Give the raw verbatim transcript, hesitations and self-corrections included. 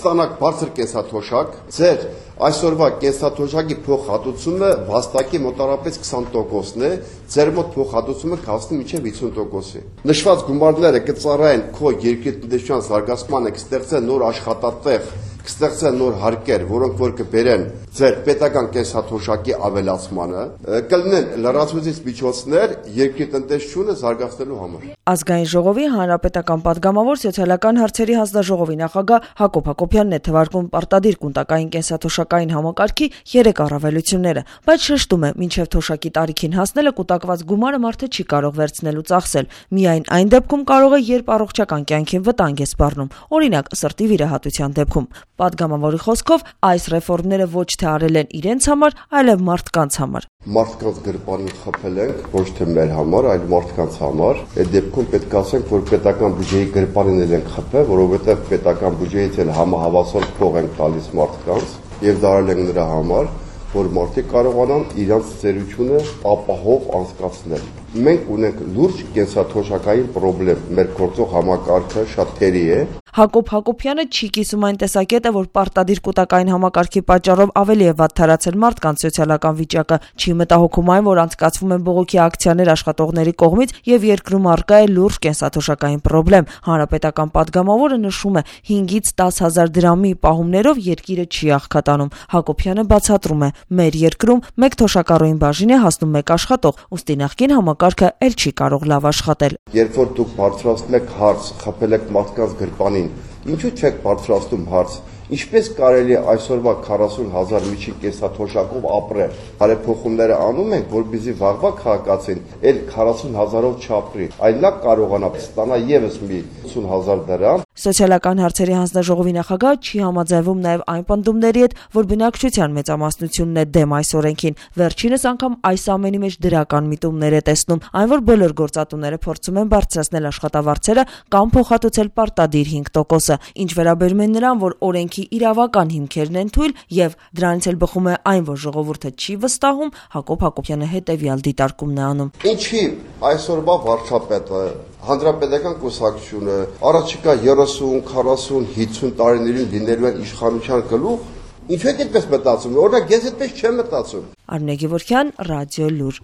կստանաք բարձր կենսաթոշակ, ձեր այսօրվա կենսաթոշակի փոխհատուցումը վաստակի մոտարապես քսան տոկոսն է, ձեր մոտ փոխհատուցումը կհասնի մինչև վաթսուն տոկոսի։ Նշված գումարները կծառայեն քո երկրի տնտեսության զարգացմանը, կստեղծեն նոր աշխատատեղ, կստեղծեն նոր հարկեր, որոնք որ կբերեն ձեր պետական կենսաթոշակի ավելացմանը, կլինեն լրացուցիչ միջոցներ երկրի տնտեսությունը զարգացնելու համար։ Ազգային ժողովի հանրապետական падգամավոր սոցիալական հարցերի հանձնաժողովի նախագահ Հակոբ Հակոբյանն է թվարկում պարտադիր կունտակային կենսաթոշակային համակարգի երեք առավելությունները, բայց շեշտում է, մինչև թոշակի տարիքին հասնելը կուտակված գումարը մարդը չի կարող վերցնել ու ծախսել։ Միայն այն դեպքում կարող է, երբ առողջական կյանքին վտանգ է սպառնում, օրինակ սրտի վիրահատության դեպքում։ Падգամավորի խոսքով այս ռեֆորմները ոչ թե արել են իրենց համար, այլև մարդկանց համար։ Մարդկանց գրպանին խփել ենք, ոչ թե մեր համար, այլ մարդկանց համար։ Այդ դեպքում պետք է ասենք, որ պետական բյուջեի գրպանին ենք խփել, որովհետև պետական բյուջեից էլ համահավասար փող ենք տալիս մարդկանց, եւ դա արել ենք նրա համար, որ մարդիկ կարողանան իրենց ծերությունը ապահով անցկացնել։ Մենք ունենք լուրջ կենսաթոշակային խնդրեմ, մեր գործող համակարգը շատ թերի է։ Հակոբ Հակոբյանը չի կիսում այն տեսակետը, որ պարտադիր կൂട്ടակային համակարգի պատճառով ավելի է վատթարացել մարդկանց սոցիալական վիճակը, չի մտահոգում այն, որ անցկացվում են բողոքի ակցիաներ աշխատողների կողմից եւ երկրում առկա է լուրջ կենսաթոշակային խնդրեմ։ Հանրապետական падգամավորը նշում է, հինգից տաս հազար դրամի պահումներով երկիրը չի աղքատանում։ Հակոբյանը բացատրում է, մեր երկրում մեկ թոշակառուին բաժին է հասնում մեկ աշխատող, ուստի նախկին համակարգը էլ չի կարող լավ աշխատել։ Երբ որ դուք բարձրացնում եք հարց, խփել եք մարդկանց գրպանին, ինչու՞ չեք բարձրացնում հարց, ինչպես կարելի է այսօրվա քառասուն հազար միջին կենսաթոշակով ապրել։ Բարեփոխումները անում ենք, որպեսզի վաղվա քաղաքացին էլ քառասուն հազարով չապրի, այլ նա կարողանա ստանա եւս մի ութսուն հազար դրամ։ Սոցիալական հարցերի հանձնաժողովի նախագահը չի համաձայնվում նաև այն պնդումների հետ, որ բնակչության մեծամասնությունն է դեմ այս օրենքին։ Վերջինս անգամ այս ամենի մեջ դրական միտումներ է տեսնում, այն որ բոլոր գործատուները փորձում են բարձրացնել աշխատավարձերը կամ փոխհատուցել պարտադիր հինգ տոկոսը։ Ինչ վերաբերում է նրան, որ օրենքի իրավական հիմքերն են թույլ եւ դրանից էլ բխում է այն, որ ժողովուրդը չի վստահում, Հակոբ Հակոբյանը հետեւյալ դիտարկումն է անում։ Ինչի այսօրվա վարչապետը Հանրապետական կուսակցությունը առաջիկա երեսուն, քառասուն, հինգսուն տարիներին լինելու են իշխանության գլուխ, ինչու եք այդպես մտածում, օրինակ ես այդպես չեմ մտածում։ Արմինե Գևորգյան, Ռադիո Լուր։